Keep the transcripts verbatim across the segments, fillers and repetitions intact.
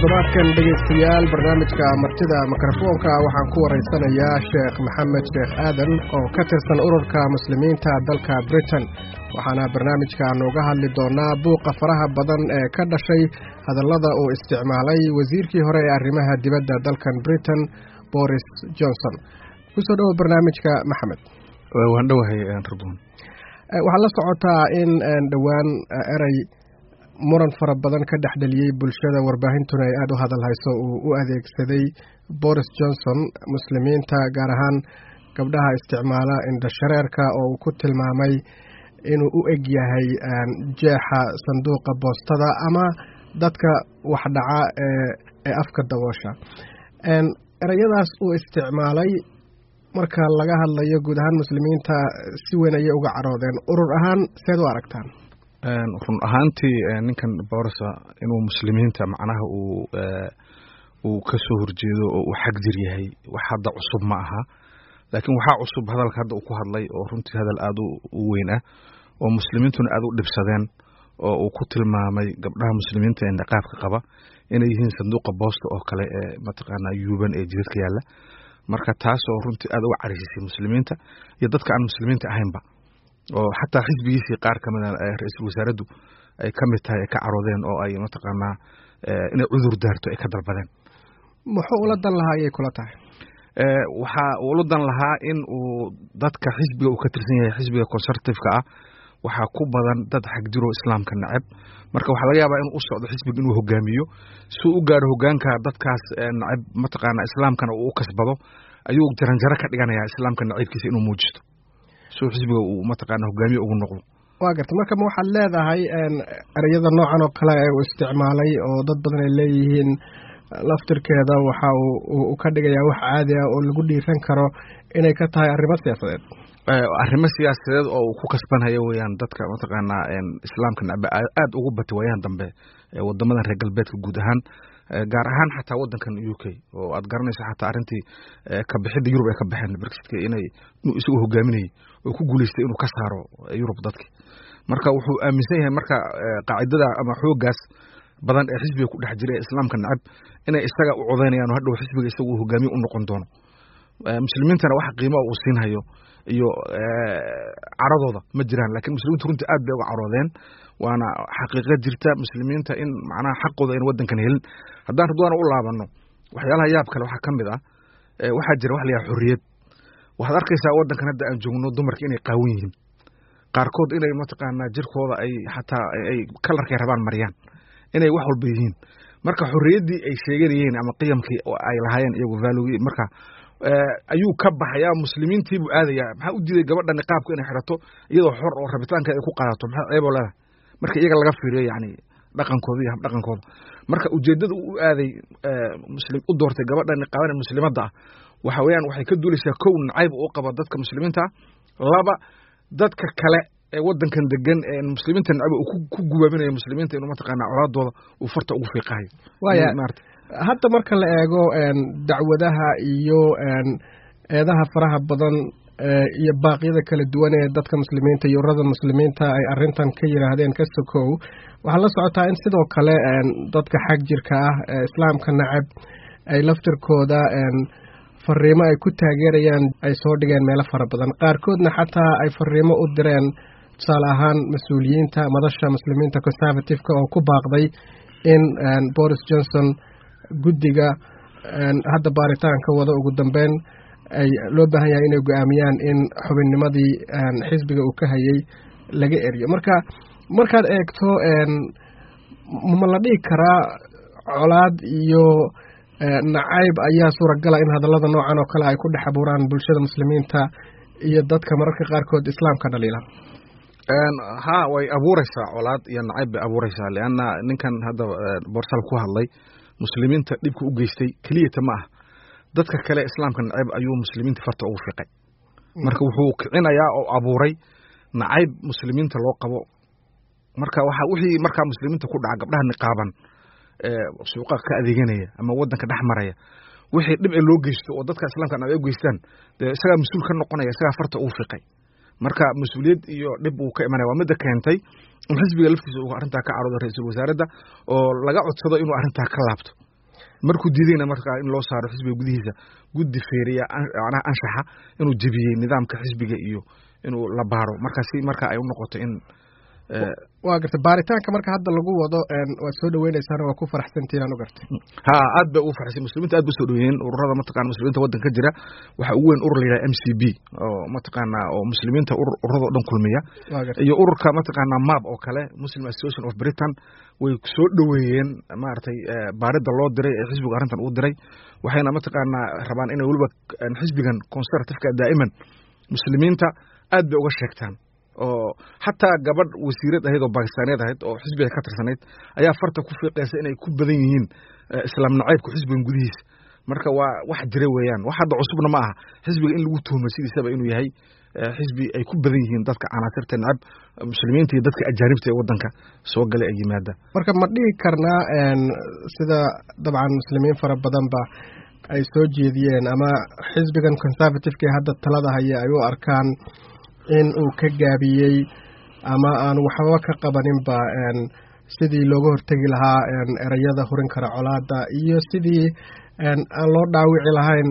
Toddobaadkan, dhegaystayaal, barnaamijka Martida Mikrofoonka waxaan ku waraysanayaa Sheekh Maxamed Sheekh Aadan oo ka tirsan Ururka Muslimiinta dalka Britain, waxaana barnaamijka nooga hadli doonaa buuqa faraha badan ee ka dhashay hadallada uu isticmaalay wasiirkii hore ee arrimaha dibadda dalkan Britain, Boris Johnson. Kusoo dhowo barnaamijka, Maxamed. Waan dhowahay, Ridwan. Waxaad la socotaa in dhowaan erey muran fara badan ka dhex dhaliyey bulshada, warbaahintuna ay aada u hadal hayso, uu u adeegsaday Boris Johnson Muslimiinta, gaar ahaan gabdhaha isticmaala indhashareerka, oo uu ku tilmaamay inuu u eg yahay jeexa sanduuqa boostada ama dadka wax dhaca ee ee afka daboosha. Ereyadaas uu isticmaalay, marka laga hadlayo guud ahaan Muslimiinta, si weyn ayay uga caroodeen. Urur ahaan seed u aragtaan? Run ahaantii, ninkan Boris inuu Muslimiinta macnaha uu uu ka soo horjeedo oo uu xag jir yahay wax hadda cusub ma aha, laakiin waxaa cusub hadalka hadda uu ku hadlay, oo runtii hadal aada u weyn ah oo Muslimiintuna aada u dhibsadeen, oo uu ku tilmaamay gabdhaha Muslimiinta ee niqaabka qaba inay yihiin sanduuqa boosta oo kale ee mataqaanaa yuuban ee jidadka yaalla. Marka taasoo runtii aada uga carhisisay Muslimiinta iyo dadka aan Muslimiinta ahaynba, oo xataa xisbigiisii qaar ka mida, ra-iisul wasaaraddu ay ka mid tahay, ay ka caroodeen oo ay mataqaanaa inay cudur daarto ay ka dalbadeen. Muxuu ula dan lahaa ayay kula tahay? Waxa uu ula dan lahaa in uu dadka xisbiga uu ka tirsan yahay, xisbiga Conservative-ka ah, waxaa ku badan dad xagjiro Islaamka neceb. Marka waxaa laga yaabaa inuu u socdo xisbiga inuu hogaamiyo. Si uu u gaaro hogaanka, dadkaas neceb mataqaana Islaamkana uu u kasbado, ayuu jaranjaro ka dhiganayaa Islaamka naciibkiisa inuu muujisto si uu xisbiga uu mataqaana hogaamiye ugu noqdo. Waa garta. Marka ma waxaad leedahay ereyada noocan oo kale ee uu isticmaalay, oo dad badan ay leeyihiin laftirkeeda waxa uu ka dhigayaa wax caadi ah oo lagu dhiiran karo, inay ka tahay arrimo siyaasadeed? Arrimo siyaasadeed oo uu ku kasbanhayo weeyaan. Dadka mataqaanaa Islaamka necbe aada ugu batay waayahan dambe wadamadan reer galbeedka guud ahaan, gaar ahaan xataa wadankan U K, oo aad garanayso xataa arrintii kabixidda Yurub ay ka baxeen, Brexitka, inay inuu isagu hogaaminayay oo ku guuleystay inuu ka saaro Yurub dadki. Marka wuxuu aaminsan yahay marka qaacidada ama xooggaas badan ee xisbiga ku dhex jira ee Islaamka necab inay isaga u codaynayaan oo hadhow xisbiga isagu uu hogaamiye u noqon doono. Muslimiintana wax qiimo uu siinhayo iyo caradooda ma jiraan, lakin Muslimiintu runtii aad bay uga caroodeen, waana xaqiiqo jirta Muslimiinta in macnaha xaqooda ayna waddankan helin. Haddaan Ridwaana u laabano, waxyaalaha yaab kale waxaa ka mid ah, waxaa jira wax la yidhaha xorriyad. Waxaad arkaysaa waddankan hadda aan joogno dumarka inay qaawan yihiin, qaarkood inay mataqaanaa jirkooda ay xataa ay kalarkay rabaan mariyaan, inay wax walba yihiin. Marka xorriyaddii ay sheeganayeen ama qiyamkii ay lahaayeen iyagu, value-gii, marka ayuu ka baxayaa, Muslimiintii buu aadayaa. Maxaa u diiday gabadha niqaabka inay xidhato iyadoo xor oo rabitaanka ay ku qaadato? Maxaa ceeboo leedahay marka iyaga laga fiiriyo, yacni dhaqankooda iyo habdhaqankooda? Marka ujeeddada uu u aaday muslim u doortay gabadha niqaaban ee Muslimadda ah waxa weeyaan waxay ka duulaysaa, kow, nacayb uu qabo dadka Muslimiinta ah; laba, dadka kale ee waddankan degan ee Muslimiinta necba uu ku gubaabinayo Muslimiinta inuu mataqaanaa colaadooda uu farta ugu fiiqahayo. Waaya, hadda marka la eego dacwadaha iyo eedaha faraha badan iyo baaqyada kala duwan ee dadka Muslimiinta iyo ururada Muslimiinta ay arrintan ka yidhaahdeen ka sokow, waxaa la socotaa in sidoo kale dadka xag jirka ah ee Islaamka nacab ay laftirkooda fariimo ay ku taageerayaan ay soo dhigeen meelo fara badan, qaarkoodna xataa ay fariimo u direen, tusaale ahaan mas-uuliyiinta madasha Muslimiinta Conservative-ka oo ku baaqday in Boris Johnson guddiga hadda baaritaanka wada ugu dambeyn ay loo baahan yahay inay go-aamiyaan in xubinnimadii xisbiga uu ka hayay laga eriyo. Marka markaad eegto, ma la dhihi karaa colaad iyo nacayb ayaa suuragala in hadallada noocan oo kale ay ku dhex abuuraan bulshada Muslimiinta iyo dadka mararka qaarkood Islaamka dhaliila? Ha, way abuureysaa, colaad iyo nacayb bay abuureysaa, leanna ninkan hadda Boris ku hadlay Muslimiinta dhibka u geystay keliyata ma ah, dadka kale Islaamka nacayb ayuu Muslimiinta farta ugu fiiqay. Marka wuxuu kicinayaa oo abuuray nacayb Muslimiinta loo qabo. Marka waxa wixii markaa Muslimiinta ku dhaca, gabdhaha niqaaban ee suuqa ka adeeganaya ama waddanka dhex maraya, wixii dhib ee loo geysto oo dadka Islaamka nacayb u geystaan, dee isagaa mas-uul ka noqonaya, isagaa farta ugu fiiqay. Marka mas-uuliyad iyo dhib uu ka imanaya. Waa midda keentay in xisbiga laftiisa uu arrintaa ka caroodo, ra-iisul wasaaradda oo laga codsado inuu arrintaa ka laabto. Markuu diidayna markaa in loo saaro xisbiga gudihiisa guddi feeriya macnaha anshaxa inuu jebiyey nidaamka xisbiga iyo inuu la baaro, markaasi marka ay u noqoto in Waa gartay. Baaritaanka marka hadda lagu wado waad soo dhaweyneysaan, waa ku faraxsantihiin aan u gartay. Ha, aad bay ugu faraxsan muslimiinta, aad bay usoo dhaweeyeen ururada mataqana muslimiinta waddanka ka jira. Waxaa ugu weyn urur la yidhaha M C B oo mataqaana oo muslimiinta ururada o dhan kulmiya, iyo ururka mataqaana MAB oo kale, Muslim Association of Britain. Way soo dhoweeyeen maaragtay baaridda loo diray ee xisbigu arrintan uu diray, waxayna mataqaanaa rabaan inay weliba xisbigan Conservativeka daa'iman muslimiinta aad bay uga sheegtaan, oo xataa gabadh wasiirad ahayd oo Bakistaaniyeed ahayd oo xisbiga ka tirsanayd ayaa farta ku fiiqaysa inay ku badan yihiin islaam nacaybka xisbigan gudihiisa. Marka waa wax jira weeyaan, wax hadda cusubna ma aha xisbiga in lagu tuhmo sidiisaba inuu yahay xisbi ay ku badan yihiin dadka canaasirta nacab muslimiinta iyo dadka ajaanibta ee waddanka soo galay ay yimaada. Marka ma dhihi karnaa, sida dabcan muslimiin fara badanba ay soo jeediyeen ama xisbigan Conservativeka ee hadda talada haya ay u arkaan, in uu ka gaabiyey ama aan waxbaba ka qabaninba sidii looga hortegi lahaa ereyada hurin kara colaada iyo sidii aan loo dhaawici lahayn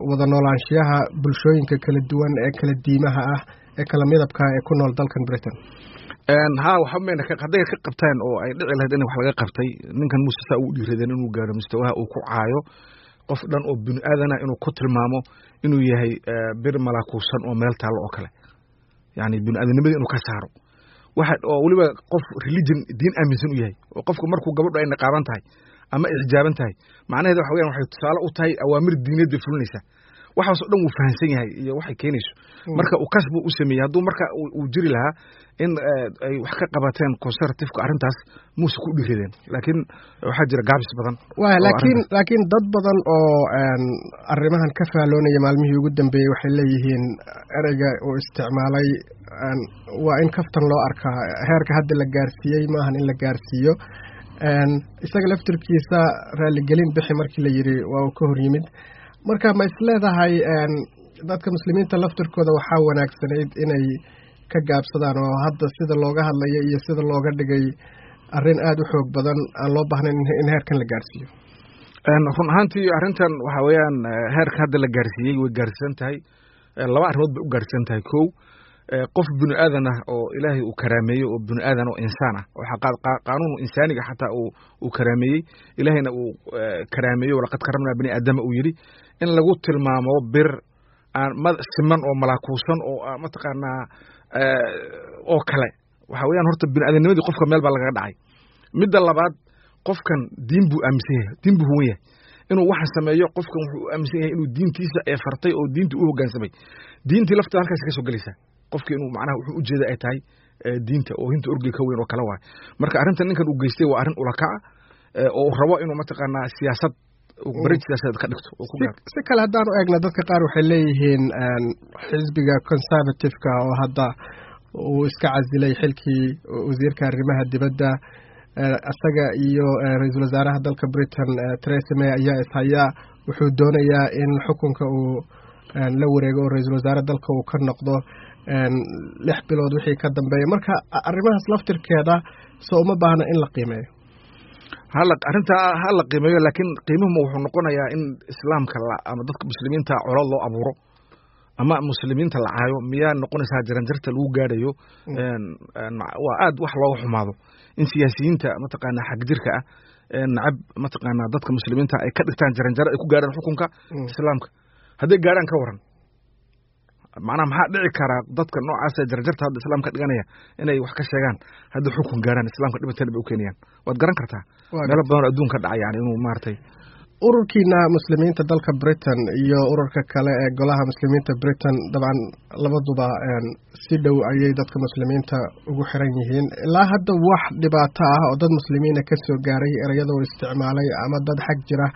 wada noolaanshiyaha bulshooyinka kala duwan ee kala diimaha ah ee kala midabka ee ku nool dalkan Britain? Ha, waxba mayna hadday ka qabteen oo ay dhici lahayd in wax laga qabtay, ninkan muuse saa ugu dhiiradeen inuu gaaro mustawaha uu ku caayo qof dhan oo bini aadana, inuu ku tilmaamo inuu yahay bir malaakuusan oo meel taallo oo kale, yani bini aadamnimadii inuu ka saaro, waxa oo weliba qof religion diin aaminsan u yahay, oo qofku markuu gabadhu ay niqaaban tahay ama ay xijaaban tahay, macnaheeda waxa weyan waxay tusaale u tahay awaamir diineed bay fulinaysaa. Waxaas oo dhan wuu fahansan yahay iyo waxay keenayso. Marka uu kas buu u sameeyey. Hadduu marka uu jiri lahaa in ay wax ka qabateen Conservativeka arrintaas, muuse ku dhiiradeen, laakiin waxaa jira gaabis badan. Waya, laakiin laakiin dad badan oo arrimahan ka faaloonaya maalmihii ugu dambeeyey waxay leeyihiin ereyga uu isticmaalay waa in kaftan loo arkaa, heerka hadda la gaarsiiyey maahan in la gaarsiiyo. Isaga laftirkiisa raaligelin bixi markii la yidhi waa uu ka hor yimid. Marka ma isleedahay dadka muslimiinta laftirkooda waxaa wanaagsanayd inay ka gaabsadaan, oo hadda sida looga hadlayo iyo sida looga dhigay arrin aada u xoog badan aan loo baahnayn in heerkan la gaarsiiyo? Run ahaantii arrintan waxa weeyaan heerka hadda la gaarsiiyey way gaarsiisan tahay. Laba arrimood bay u gaarsiisan tahay. Kow, qof bini aadan ah oo Ilaahay uu karaameeyey, oo bini aadan oo insaan ah, oo qaanuun insaaniga xataa uu uu karaameeyey, Ilaahayna uu karaameeyey, "Walaqad karamnaa bani aadama" uu yidhi, in lagu tilmaamo bir aan ma siman oo malaakuusan oo mataqaanaa oo kale, waxa weeyaan horta bini aadamnimadii qofka meel baa lagaga dhacay. Midda labaad, qofkan diin buu aaminsan yahay, diin buu huwan yahay inuu waxa sameeyo. Qofkan wuxuu u aaminsan yahay inuu diintiisa ee fartay oo diinta u hoggaansamay. Diintii lafteeda halkaas ka soo gelaysaa, qofki inuu macnaha wuxuu ujeeda ay tahay diinta oo hinta orgey ka weyn oo kale waay. Marka arrintan ninkan uu geystay waa arrin ulakaca oo uu rabo inuu mataqaanaa siyaasad bari siyaasadeed ka dhigto oo ku gaaro. Si kale haddaan u eegna, dadka qaar waxay leeyihiin xisbiga Conservativeka oo hadda uu iska casilay xilkii wasiirka arrimaha dibadda, isaga iyo ra-iisul wasaaraha dalka Britain Theresa May ayaa ishayaa, wuxuu doonayaa in xukunka uu la wareego oo ra-iisul wasaare dalka uu ka noqdo lix bilood wixii ka dambeeya. Marka arrimahaas laftirkeeda soo uma baahna in la qiimeeyo? Hala, arrintaa ha la qiimeeyo, laakiin qiimuhuma wuxuu noqonayaa in islaamka la ama dadka muslimiinta colaad loo abuuro ama muslimiinta la caayo miyaa noqonaysaa jaranjarta lagu gaadhayo? Waa aad wax looga xumaado in siyaasiyiinta mataqaanaa xagjirka ah nacab mataqaanaa dadka muslimiinta ay ka dhigtaan jaranjaro ay ku gaadhaan xukunka islaamka. Hadday gaadhaan, ka waran? Macnaha maxaa dhici karaa dadka noocaasa jaranjarta hadda islaamka dhiganaya inay wax ka sheegaan hadday xukun gaarhaan islaamka dhibatan bay u keenayaan? Waad garan kartaa meelo badan oo adduunka dhaca, yani inuu maaragtay Ururkiina muslimiinta dalka Britain iyo ururka kale ee golaha muslimiinta Britain dabcan labaduba si dhow ayay dadka muslimiinta ugu xiran yihiin. Ilaa hadda wax dhibaato ah oo dad muslimiina ka soo gaaray ereyada uu isticmaalay ama dad xag jira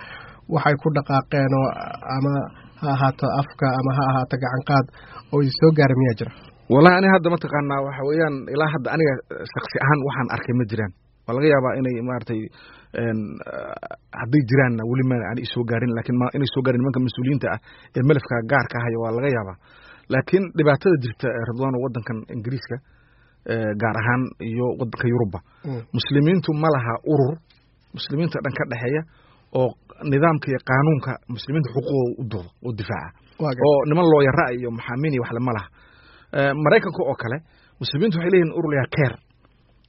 waxay ku dhaqaaqeen, oo ama ha ahaato afka ama ha ahaato gacanqaad, oo idi soo gaaray miyaa jira? Wallahi ani hadda mataqaanaa waxa weeyaan ilaa hadda aniga shaksi ahaan waxaan arkay ma jiraan. Waa laga yaabaa inay maaragtay hadday jiraanna weli ma ani isoo gaarin, laakiin ma inay soo gaarin nimanka mas-uuliyiinta ah ee melafka gaarka ahaya waa laga yaabaa. Laakiin dhibaatada jirta, Ridwaano, waddankan Ingiriiska gaar ahaan iyo waddanka Yuruba, muslimiintu ma laha urur muslimiinta dhan ka dhexeeya oo Nidaamka iyo qaanuunka muslimiinta xuquuqooda u doodo oo difaaca, oo niman looyara iyo maxaamiin iyo waxle ma laha. Maraykanka oo kale muslimiintu waxay leeyihin urur layaa CAIR.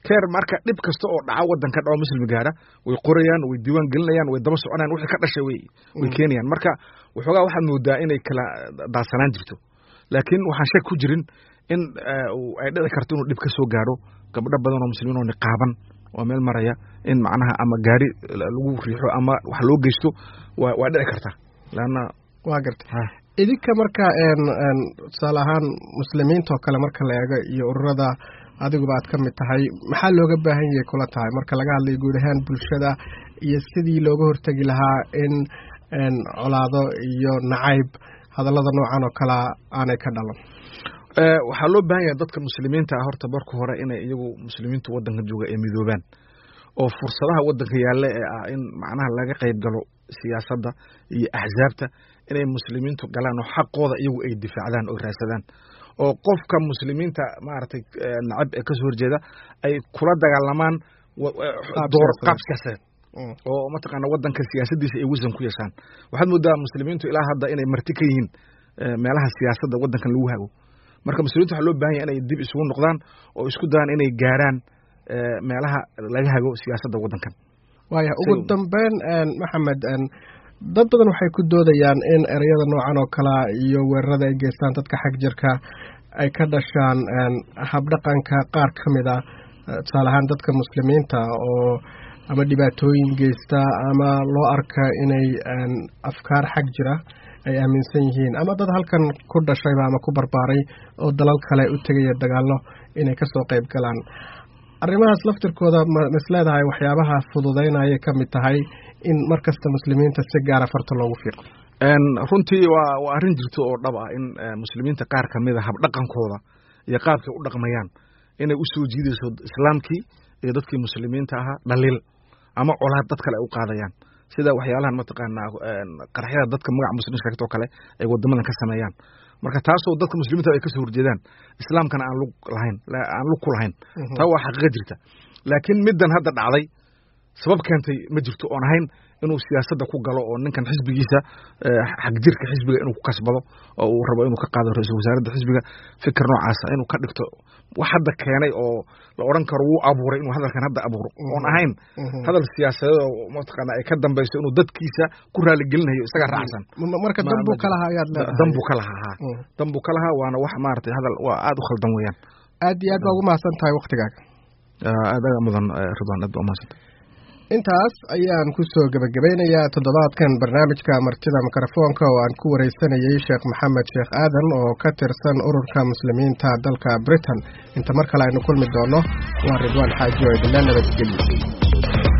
CAIR marka dhib kasta oo dhaca waddanka dhaco muslim gaara way qorayaan, way diiwaan gelinayaan, way daba soconayaan, wixii ka dhashay way way keenayaan. Marka waxoogaa waxaad moodaa inay kala daadsanaan jirto, laakiin waxaan shak ku jirin in ay dhici karto inuu dhib ka soo gaadho gabdho badan oo muslimiin oo niqaaban oo meel maraya, in macnaha ama gaari lagu riixo ama wax loo geysto waa waa dhici kartaa laanna. Waa gartay. Idinka marka tusaale ahaan muslimiinta oo kale marka la eego iyo ururada adiguba aad ka mid tahay, maxaa looga baahan yahay kula tahay marka laga hadlayo guud ahaan bulshada iyo sidii looga hortegi lahaa in colaado iyo nacayb hadallada noocan oo kalea aanay ka dhalan? Waxaa loo baahan yahay dadka muslimiinta ah horta marka hore inay iyagu muslimiintu waddanka jooga ay midoobaan, oo fursadaha waddanka yaalla ee ah in macnaha laga qayb galo siyaasadda iyo axsaabta inay muslimiintu galaan, oo xaqooda iyagu ay difaacdaan oo raadsadaan, oo qofka muslimiinta maaragtay nacab ee kasoo horjeeda ay kula dagaalamaan door qaab siyaasadeed oo mataqaana waddanka siyaasaddiisa ay wasan ku yeeshaan. Waxaad moodaa muslimiintu ilaa hadda inay marti ka yihiin meelaha siyaasadda waddankan lagu hago. Marka muslimiintu waxaa loo baahan yahay inay dib isugu noqdaan oo isku dayaan inay gaaraan meelaha laga hago siyaasadda waddankan. Waaya, ugu dambeyn Maxamed, dad badan waxay ku doodayaan in ereyada noocan oo kalea iyo weerarada ay geystaan dadka xag jirka ay ka dhashaan habdhaqanka qaar ka mid a, tusaale ahaan dadka muslimiinta oo ama dhibaatooyin geysta ama loo arka inay afkaar xag jira ay aaminsan yihiin, ama dad halkan ku dhashayba ama ku barbaaray oo dalal kale u tegaya dagaallo inay kasoo qayb galaan. Arrimahaas laftirkooda ma isleedahay waxyaabaha fududeynayay ka mid tahay in mar kasta muslimiinta si gaara farta loogu fiiqo? Runtii waa waa arrin jirto oo dhab ah in muslimiinta qaar ka mid a habdhaqankooda iyo qaabkay u dhaqmayaan inay u soo jiidayso islaamkii iyo dadkii muslimiinta ahaa dhaliil ama colaad dad kale ay u qaadayaan, sida waxyaalahan mataqaanaa qaraxyada dadka magaca muslimiin sheegto kale ay wadamadan ka sameeyaan. Marka taasoo dadka muslimiinta ay kasoo horjeedaan, islaamkana aan lug lahayn, aan lug ku lahayn, taa waa xaqiiqa jirta. Laakiin middan hadda dhacday sabab keentay ma jirto oon ahayn inuu siyaasadda ku galo oo ninkan xisbigiisa xagjirka xisbiga inuu ku kasbado oo uu rabo inuu ka qaado ra-iisul wasaaradda xisbiga, fikir noocaasa inuu ka dhigto. Wax hadda keenay oo la odhan karo wuu abuuray inuu hadalkan hadda abuuro oon ahayn hadal siyaasadeed oo mataqaana ay ka dambayso inuu dadkiisa ku raaligelinayo isaga raacsan. Marka dan buu ka lahaa ayaad leedahay? Dan buu ka lahaa, ha, dan buu ka lahaa, waana wax maaragtay hadal waa aada u khaldan weeyaan. Aad iyo aad baa ugu mahadsan tahay waktigaaga. Aad aga mudan Ridwan, aad baa umahadsan. Intaas ayaan ku soo gebagabeynayaa toddobaadkan barnaamijka martida mikrofoonka oo aan ku wareysanayey Sheekh Maxamed Sheekh Aadan oo ka tirsan ururka muslimiinta dalka Britain. Inta mar kale aynu kulmi doono, waa Ridwaan Xaaji oo idinla nabadgeliyo.